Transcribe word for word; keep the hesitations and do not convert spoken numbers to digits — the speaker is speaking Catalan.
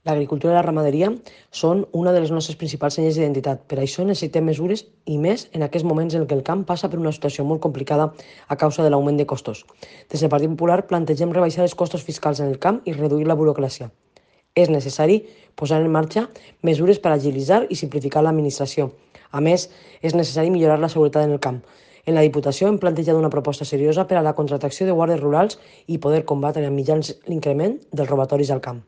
L'agricultura i la ramaderia són una de les nostres principals senyes d'identitat. Per això necessitem mesures i més en aquests moments en què el camp passa per una situació molt complicada a causa de l'augment de costos. Des del Partit Popular plantegem rebaixar els costos fiscals en el camp i reduir la burocràcia. És necessari posar en marxa mesures per agilitzar i simplificar l'administració. A més, és necessari millorar la seguretat en el camp. En la Diputació hem plantejat una proposta seriosa per a la contractació de guàrdies rurals i poder combatre amb mitjans l'increment dels robatoris al camp.